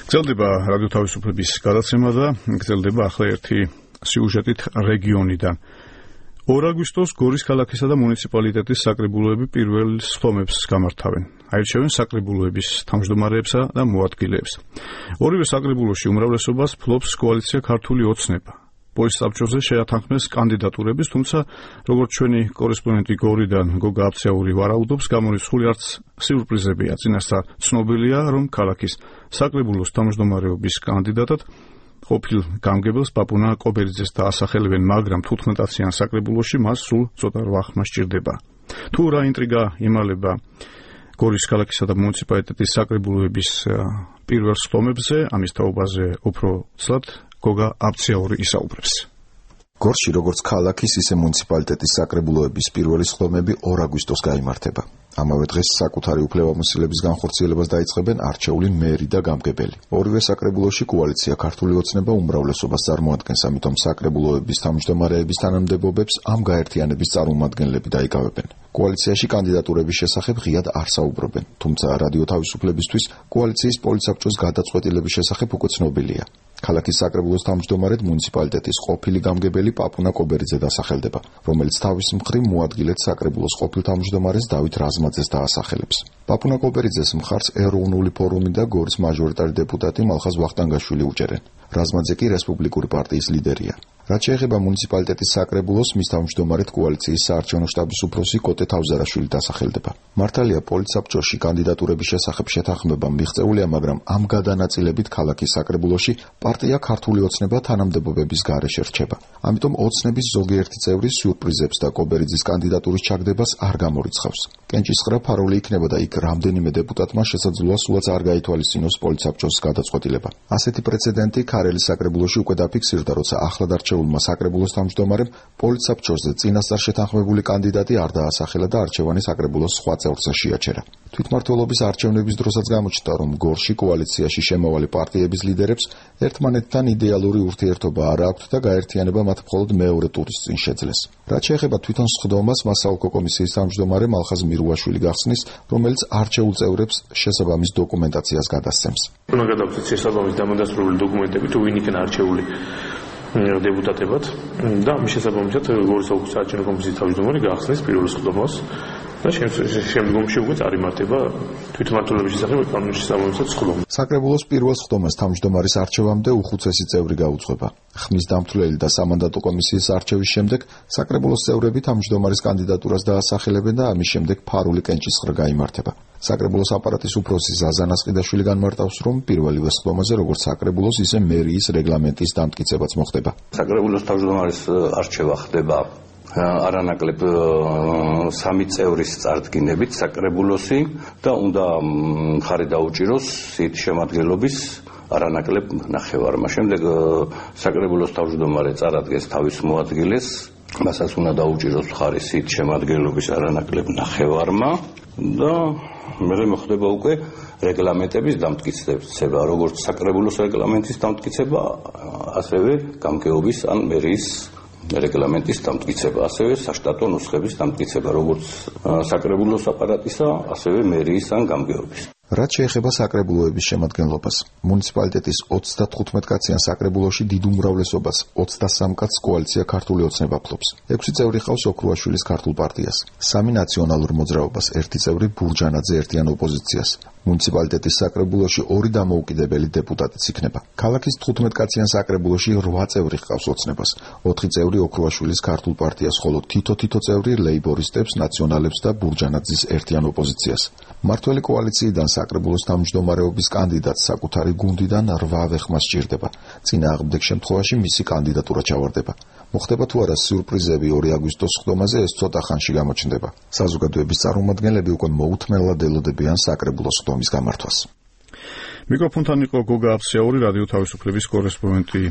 გრძელდება რადიო თავისუფლების გადაცემა და გრძელდება ახლა ერთი სიუჟეტით რეგიონიდან. 2 აგვისტოს გორის ქალაქისა და მუნიციპალიტეტის საკრებულოები პირველ სხდომებს გამართავენ. აირჩევენ საკრებულოების თავმჯდომარეებსა და მოადგილეებს. ორივე საკრებულოში უმრავლესობას ფლობს კოალიცია ქართული ოცნება. პოლის საბჭოზე შეათანხმეს კანდიდატურების, თუმცა როგორც ჩვენი კორესპონდენტი გორიდან გოგა აბცაური ვარაუდობს, გამორიცხული არც სიურპრიზებია. წინასწარ ცნობილია, რომ ქალაქის საკრებულოს თავმჯდომარეობის კანდიდატად ყოფილ გამგებელს პაპუნა კობერიძეს დაასახელებენ, მაგრამ 15-იან საკრებულოში მას სულ ცოტა ვახმა სჭირდება. თუ რა ინტრიგა იმალება გორის ქალაქისა და მუნიციპალიტეტის საკრებულოების პირველ სხდომებზე, ამის თაობაზე უფრო ცლად გოგა აბცაური ისაუბრებს. გორში როგორც ქალაქის, ისე მუნიციპალიტეტის საკრებულოების პირველი სხდომები 2 აგვისტოს გაიმართება. ამავე დღეს საკუთარი უფლებამოსილების განხორციელებას დაიწყებენ არჩეული მერი და გამგებელი. ორივე საკრებულოში კოალიცია ქართული ოცნება უმრავლესობას წარმოადგენს, ამიტომ საკრებულოების თავმჯდომარეების თანამდებობებს ამ გაერთიანების წარმომადგენლები დაიკავებენ. კოალიციაში კანდიდატურების შესახებ ღიად არ საუბრობენ, თუმცა რადიო თავისუფლებისთვის კოალიციის პოლიცაბჭოს გადაწყვეტილების შესახებ უკვე ცნობილია. ქალაქის საკრებულოს თავმჯდომარედ მუნიციპალიტეტის ყოფილი გამგებელი პაპუნა კობერიძე დასახელდება, რომელიც თავის მხრივ მოადგილედ საკრებულოს ყოფილ თავმჯდომარეს დავით რაზმაძეს დაასახელებს. პაპუნა კობერიძეს მხარს ეროვნული ფორუმი და გორის მაჟორიტარი დეპუტატი მალხაზ ვახტანგაშვილი უჭერენ. რაზმაძე კი რესპუბლიკური პარტიის ლიდერია. რაც შეეხება მუნიციპალიტეტის საკრებულოს, მის თავმჯდომარედ კოალიციის საარჩევნო შტაბის უფროსი კოტე თავზარაშვილი დასახელდება. მართალია პოლიცაბჭოში კანდიდატურების შესახებ შეთანხმება მიღწეულია, მაგრამ ამ გადანაწილებით ქალაქის საკრებულოში პარტია ქართული ოცნება თანამდებობების გარეშე რჩება. ამიტომ ოცნების ზოგიერთი წევრი სიურპრიზებს და კობერიძის კანდიდატურის ჩაგდებას არ გამორიცხავს. კენჭისყრა ფარული იქნება და იქ რამდენიმე დეპუტატმა შესაძლოა სულაც არ გაითვალისწინოს პოლიცაბჭოს გადაწყვეტილება. ასეთი პრეცედენტი ქარელის საკრებულოში უკვე დაფიქსირდა, როცა ახლად არჩეულმა საკრებულოს თავმჯდომარემ პოლიცაბჭოზე წინასწარ შეთანხმებული კანდიდატი არ დაასახელა და არჩევანი საკრებულოს სხვა წევრზე შეაჩერა. თვითმმართველობის არჩევნების დროსაც გამოჩნდა, რომ გორში კოალიციაში შემავალი პარტიების ლიდერებს ერთმანეთთან იდეალური ურთიერთობა არ აქვთ და გაერთიანება მათ მხოლოდ მეორე ტურის წინ შეძლეს. რაც შეეხება თვითონ სხდომას, მასაულკო კომისიის თავმჯდომარე მალხაზ მირუაშვილი გახსნის, რომელიც არჩეულ წევრებს შესაბამის დოკუმენტაციას გადასცემს. უნდა გადავწყვეტ შესაბამის დამადასტურებელი დოკუმენტები, თუ ვინ იქნება არჩეული დეპუტატებად და მის შესაბამისად გორის ოლქის საარჩევნო კომისიის თავმჯდომარე გახსნის პირველ სხდომას და შემდგომში უკვე წარიმართება თვითმმართველობის შესახებ კანონის შესაბამისად სხდომა. საკრებულოს პირველ სხდომას თავმჯდომარის არჩევამდე უხუცესი წევრი გაუძღვება. ხმის დამთვლელი და სამანდატო კომისიის არჩევის შემდეგ საკრებულოს წევრები თავმჯდომარის კანდიდატურას დაასახელებენ და ამის შემდეგ ფარული კენჭისყრა გაიმართება. საკრებულოს აპარატის უფროსი ზაზა ნასყიდაშვილი განმარტავს, რომ პირველივე სხდომაზე როგორც საკრებულოს, ისე მერიის რეგლამენტის დამტკიცებაც მოხდება. საკრებულოს თავმჯდომარის არჩევა ხდება არანაკლებ 3 წევრის წარდგინებით საკრებულოსი და უნდა მხარი დაუჭიროს სიით შემადგენლობის არანაკლებ ნახევარმა. შემდეგ საკრებულოს თავმჯდომარე წარადგენს თავის მოადგილეს, მასაც უნდა დაუჭიროს მხარი სიით შემადგენლობის არანაკლებ ნახევარმა და მერე მოხდება უკვე რეგლამენტების დამტკიცება, როგორც საკრებულოს რეგლამენტის დამტკიცება, ასევე გამგეობის ან მერიის რეგლამენტის დამტკიცება, ასევე საშტატო ნუსხების დამტკიცება, როგორც საკრებულოს აპარატისა, ასევე მერიის ან გამგეობის. რაც შეეხება საკრებულოების შემადგენლობას, მუნიციპალიტეტის 35 კაციან საკრებულოში დიდ უმრავლესობას 23 კაცს კოალიცია ქართული ოცნება ფლობს. 6 წევრი ყავს ოქრუაშვილის ქართულ პარტიას, 3 ნაციონალურ მოძრაობას, 1 წევრი ბურჯანაძე ერთიან ოპოზიციას. მუნიციპალიტეტის საკრებულოში 2 დამოუკიდებელი დეპუტატიც იქნება. ქალაქის 15 კაციან საკრებულოში 8 წევრი ყავს ოცნებას, 4 წევრი ოქრუაშვილის ქართულ პარტიას, ხოლო თითო წევრი ლეიბორისტებს, ნაციონალებს და ბურჯანაძის ერთიან ოპოზიციას. მართველი კოალიციიდან საკრებულოს თავმჯდომარეობის კანდიდატს საკუთარი გუნდიდან 8 ვეხმა სჭირდება. წინააღმდეგ შემთხვევაში მისი კანდიდატურა ჩავარდება. მოხდება თუ არა სიურპრიზები 2 აგვისტოს სხდომაზე, ეს ცოტა ხანში გამოჩნდება. საზოგადოების წარმომადგენლები უკვე მოუთმენლად ელოდებიან საკრებულოს სხდომის გამართვას. მიკროფონთან იყო გოგა აბცაური, რადიო თავისუფლების კორესპონდენტი